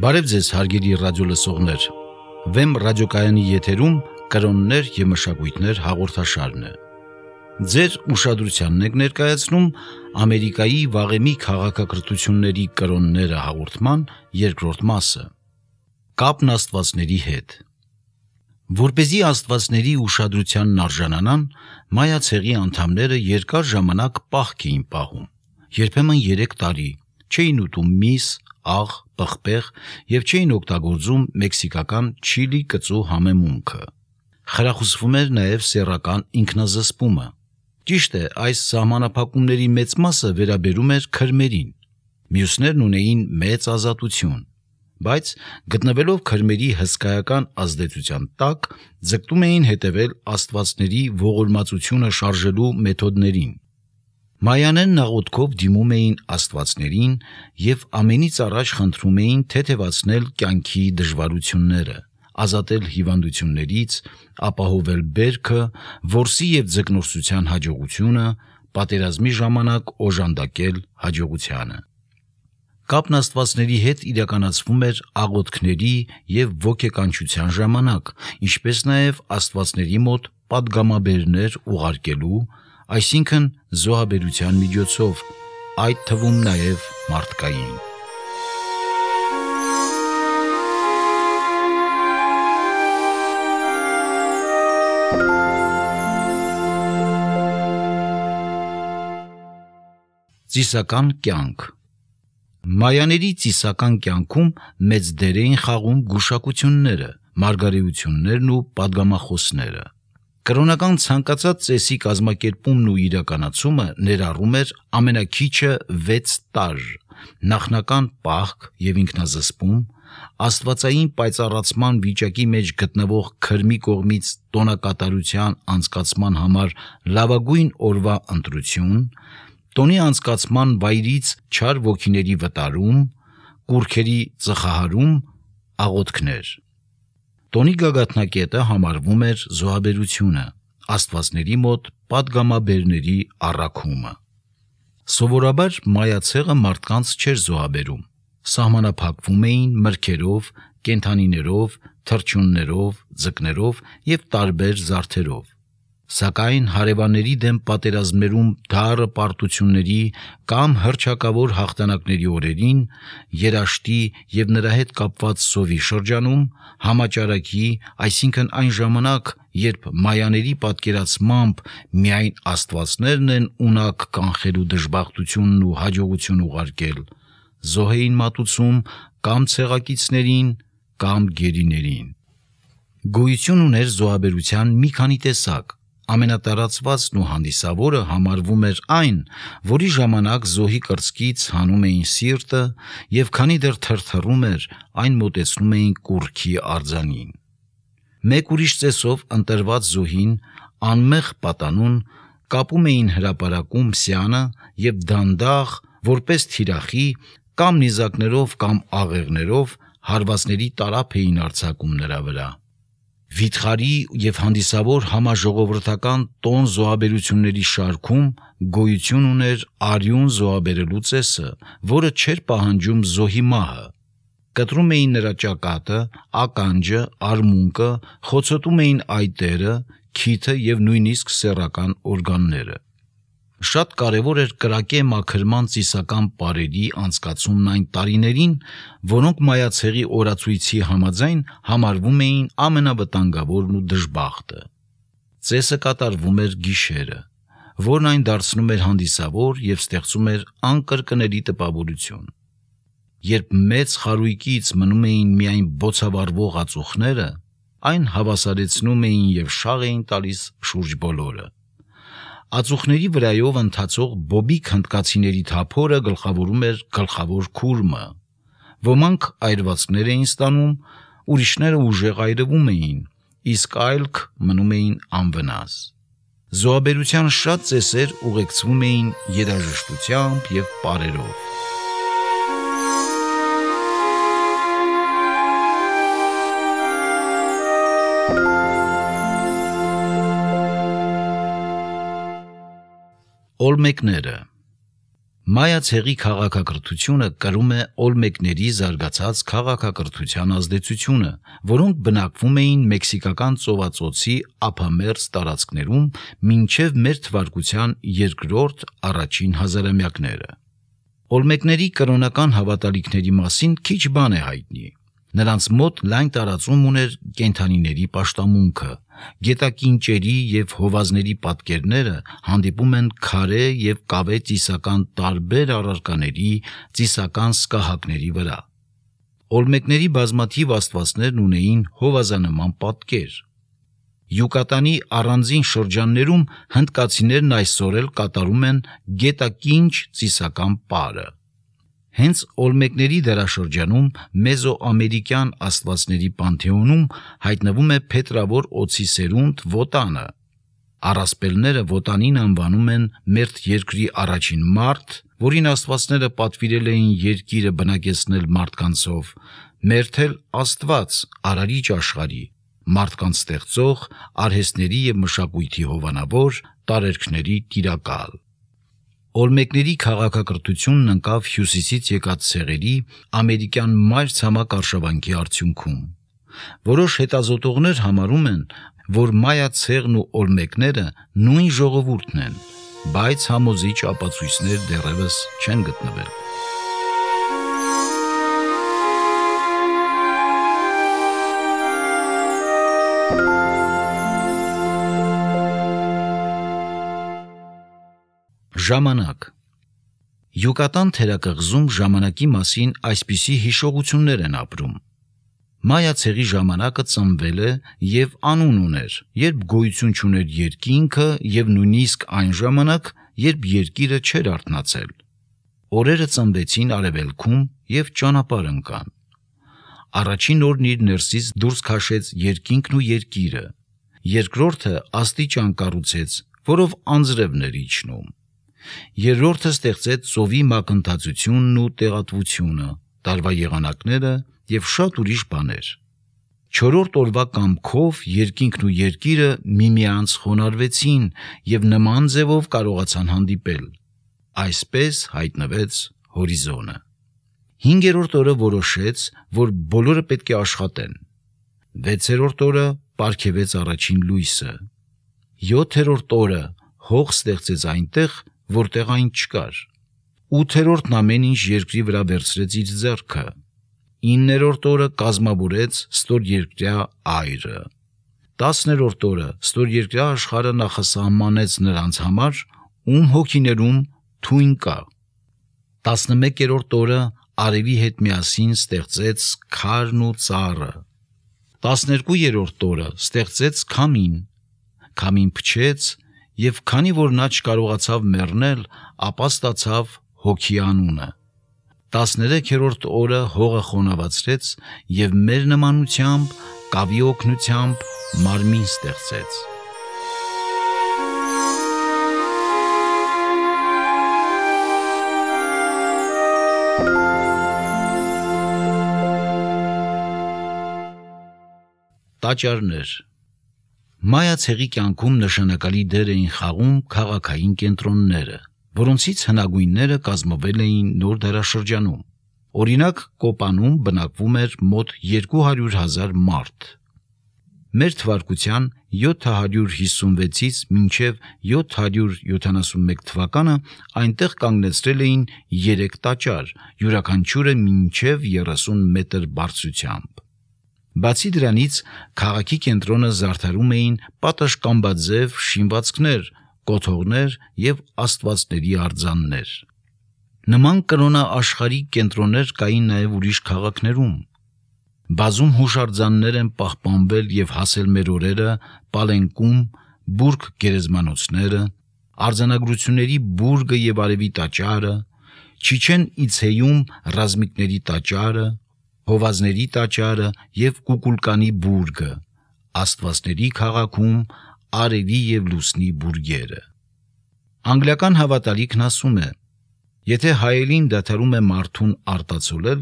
Բարև ձեզ հարգելի ռադիոլսողներ, Վեմ ռադիոկայանի եթերում կրոններ և մշակույթներ հաղորդաշարն է։ Ձեր ուշադրությանն ենք ներկայացնում Ամերիկայի վաղեմի քաղաքակրթությունների կրոնները հաղորդման երկրորդ մասը։ Կապն աստվածների հետ։ Որպեսզի աստվածների ուշադրությանն արժանանան, Մայա ցեղի անդամները երկար ժամանակ պահք էին պահում, երբեմն 3 տարի, չէին ուտում միս, աղ, պղպեղ և չէին օգտագործում մեքսիկական չիլի կծու համեմունքը։ Խրախուսվում էր նաև սեռական ինքնազսպումը։ Ճիշտ է, այս սահմանափակումների մեծ մասը վերաբերում էր քրմերին, մյուսներն ունեին մեծ ազատություն, բայց գտնվելով քրմերի հսկայական ազդեցության տակ, ձգտում էին հետևել աստվածների ողորմածությունը շարժելու մեթոդներին։ Մայաներն աղոթքով դիմում էին աստվածներին և ամենից առաջ խնդրում էին թեթևացնել կյանքի դժվարությունները, ազատել հիվանդություններից, ապահովել բերքը, որսի և ձկնորսության հաջողությունը, պատերազմի ժամանակ օժանդակել հաջողությանը։ Կապն աստվածների հետ իրականացվում էր աղոթքների և ոգեկանչության ժամանակ, ինչպես նաև աստվածների մոտ պատգամաբերներ ուղարկելու, այսինքն զոհաբերության միջոցով, այդ թվում նաև մարդկային։ Ծիսական կյանք։ Մայաների ծիսական կյանքում մեծ դեր էին խաղում գուշակությունները, մարգարեություններն ու պատգամախոսները։ Կրոնական ցանկացած ծեսի կազմակերպումն ու իրականացումը ներառում էր ամենաքիչը 6 տարր, նախնական պահք և ինքնազսպում, աստվածային պայծառացման վիճակի մեջ գտնվող քրմի կողմից տոնակատարության անցկացման համար լավագույն օրվա ընտրություն, տոնի անցկացման վայրից չար ոգիների վտարում, կուռքերի ծխահարում, աղոթքներ։ Տոնի գագաթնակետը համարվում էր զոհաբերությունը, աստվածների մոտ պատգամաբերների առաքումը։ Սովորաբար Մայա ցեղը մարդկանց չէր զոհաբերում, սահմանափակվում էին մրգերով, կենդանիներով, թռչուններով, ձկներով և տարբեր զարդերով։ Սակայն հարևանների դեմ պատերազմներում դառը պարտությունների կամ հռչակավոր հաղթանակների օրերին, երաշտի և նրա հետ կապված սովի շրջանում, համաճարակի, այսինքն այն ժամանակ, երբ մայաների պատկերացմամբ միայն աստվածներն են ունակ կանխելու դժբախտությունն ու հաջողություն ուղարկել, զոհ էին մատուցում կամ ցեղակիցներին, կամ գերիներին։ Գոյություն ուներ զոհաբերության մի քանի տեսակ։ Ամենատարածվածն ու հանդիսավորը համարվում էր այն, որի ժամանակ զոհի կրծքից հանում էին սիրտը և քանի դեռ թրթռում էր, այն մոտեցնում էին կուռքի արձանին։ Մեկ ուրիշ ծեսով ընտրված զոհին անմեղ պատանուն կապում էին հրապարակում սյանը և դանդաղ, որպես թիրախի, կամ նիզակներով կամ աղեղներով հարվածների տարափ էին արձակում նրա վրա։ Վիթխարի և հանդիսավոր համաժողովրդական տոն զոհաբերությունների շարքում գոյություն ուներ արյուն զոհաբերելու ծեսը, որը չէր պահանջում զոհի մահը։ Կտրում էին նրա ճակատը, ականջը, արմունկը, խոցոտում էին այտերը, քիթը և նույնիսկ սեռական օրգանները։ Շատ կարևոր էր կրակե մաքրման ծիսական պարերի անցկացումն այն տարիներին, որոնք Մայա ցեղի օրացույցի համաձայն համարվում էին ամենավտանգավորն ու դժբախտը։ Ծեսը կատարվում էր գիշերը, որն այն դարձնում էր հանդիսավոր և ստեղծում էր անկրկնելի տպավորություն։ Երբ մեծ խարույկից մնում էին միայն բոցավառվող ածուխները, այն հավասարեցնում էին և շաղ էին տալիս շուրջ բոլորը։ Ածուխների վրայով ընթացող բոբիկ հնդկացիների թափորը գլխավորում էր գլխավոր քուրմը։ Ոմանք այրվածքներ էին ստանում, ուրիշները ուժեղ այրվում էին, իսկ այլք մնում էին անվնաս։ Զոհաբերության շատ ծեսեր ուղեկցվում էին երաժշտությամբ և պարերով։ Օլմեկները։ Մայացեղի քաղաքակրթությունը կրում է օլմեկների զարգացած քաղաքակրթության ազդեցությունը, որոնք բնակվում էին մեքսիկական ծովածոցի ափամերձ տարածքներում մինչև մեր թվարկության երկրորդ առաջին հազարամյակները։ Օլմեկների կրոնական հավատալիքների մասին քիչ բան է հայտնի։ Նրանց մոտ լայն տարածում ուներ կենդանիների պաշտամունքը։ Գետակինճերի և հովազների պատկերները հանդիպում են քարե և կավե ծիսական տարբեր առարկաների ծիսական սկահակների վրա։ Օլմեկների բազմաթիվ աստվածներն ունեին հովազանման պատկեր։ Յուկատանի առանձին շրջաններում հնդկացիներն այսօր էլ կատարում են գետակինչ ծիսական պարը։ Հենց օլմեկների դարաշրջանում մեզոամերիկյան աստվածների պանթեոնում հայտնվում է փետրավոր օձի սերունդ Վոտանը։ Առասպելները Վոտանին անվանում են մերթ երկրի առաջին մարդ, որին աստվածները պատվիրել էին երկիրը բնակեցնել մարդկանցով, մերթել Աստված արարիչ աշխարհի, մարդկանց ստեղծող, արհեստների և մշակույթի հովանավոր, տարերքների տիրակալ։ Օլմեկների քաղաքակրթությունն ընկավ հյուսիսից եկած ցեղերի ամերիկյան մայրցամաք արշավանքի արդյունքում։ Որոշ հետազոտողներ համարում են, որ մայա ցեղն ու օլմեկները նույն ժողովուրդն են, բայց համոզիչ ապացույցներ դեռևս չեն գտնվել։ Ժամանակ։ Յուկատան թերակղզում ժամանակի մասին այսպիսի հիշողություններ են ապրում։ Մայա ցեղի ժամանակը ծնվել է և անուն ուներ, երբ գոյություն չուներ երկինքը և նույնիսկ այն ժամանակ, երբ երկիրը չէր արթնացել։ Օրերը ծնվեցին արևելքում և ճանապարհ ընկան։ Առաջին օրն իր ներսից դուրս քաշեց երկինքն ու երկիրը։ Երկրորդը աստիճան կառուցեց, որով անձրևն էր իջնում։ Երրորդը ստեղծեց ծովի մակընթացությունն ու տեղատվությունը, տարվա եղանակները և շատ ուրիշ բաներ։ Չորրորդ օրվա կամքով երկինքն ու երկիրը միմյանց խոնարհվեցին և նման ձևով կարողացան հանդիպել։ Այսպես հայտնվեց հորիզոնը։ Հինգերորդ օրը որոշեց, որ բոլորը պետք է աշխատեն։ Վեցերորդ օրը պարգևեց առաջին լույսը։ Յոթերորդ օրը հող ստեղծեց այնտեղ, որտեղ այն չկար։ Ութերորդն ամեն ինչ երկրի վրա վերցրեց իր ձեռքը։ Իններորդ օրը կազմավորեց ստորերկրյա այրը։ 10-րդ օրը ստորերկրյա աշխարհը նախասահմանեց նրանց համար, ում հոգիներում թույն կա։ 11-րդ օրը արևի հետ միասին ստեղծեց քարն ու ծառը։ 12-րդ օրը ստեղծեց քամին։ Քամին փչեց, և քանի որ նա չկարողացավ մեռնել, ապա ստացավ հոգի անունը։ 13-րդ օրը հողը խոնավացրեց և մեր նմանությամբ, կավի օգնությամբ մարմին ստեղծեց։ Տաճարներ։ Մայա ցեղի կյանքում նշանակալի դեր էին խաղում քաղաքային կենտրոնները, որոնցից հնագույնները կազմվել էին նոր դարաշրջանում։ Օրինակ, Կոպանում բնակվում էր մոտ 200,000 մարդ։ Մեր թվարկության 756-ից մինչև 771 թվականը այնտեղ կանգնեցրել էին 3 տաճար, յուրաքանչյուրը մինչև 30 մետր բարձրությամբ։ Բացի դրանից, քաղաքի կենտրոնը զարդարում էին պատշգամբաձև շինվածքներ, կոթողներ և աստվածների արձաններ։ Նման կրոնաաշխարհիկ կենտրոններ կային նաև ուրիշ քաղաքներում։ Բազում հուշարձաններ են պահպանվել և հասել մեր օրերը Պալենկում, Բուրգ գերեզմանոցները, արձանագրությունների բուրգը և արևի տաճարը, Չիչեն Իցեյում ռազմիկների տաճարը, հովազների տաճարը և Կուկուլկանի բուրգը, աստվածների քաղաքում արևի և լուսնի բուրգերը։ Անգլիական հավատալիքն ասում է. եթե հայելին դադարում է մարդուն արտացոլել,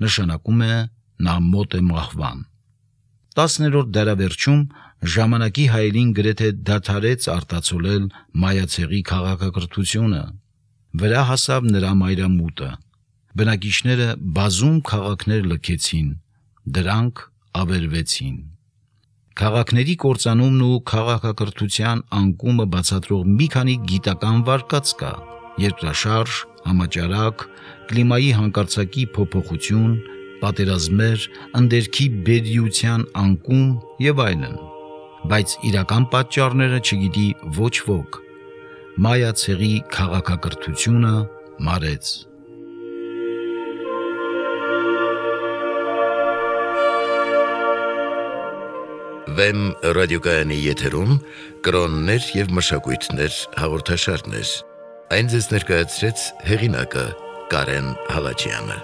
նշանակում է նա մոտ է մահվան։ 10-րդ դարավերջում ժամանակի հայելին գրեթե դադարեց արտացոլել մայա ցեղի քաղաքակրթությունը։ Վրա հասավ նրա մայրամուտը։ Բնակիչները բազում քաղաքներ լքեցին, դրանք ավերվեցին։ Քաղաքների կործանումն ու քաղաքակրթության անկումը բացատրող մի քանի գիտական վարկած կա՝ երկրաշարժ, համաճարակ, կլիմայի հանկարծակի փոփոխություն, պատերազմներ, ընդերքի բերրիության անկում եւ այլն, բայց իրական պատճառները չգիտի ոչ ոք։ Մայա ցեղի քաղաքակրթությունը մարեց։ Վեմ ռադիոկայանի եթերում կրոններ եւ մշակույթներ հաղորդաշարներ։ Այն ձեզ ներկայացրեց հեղինակը Կարեն Հալաջյանը։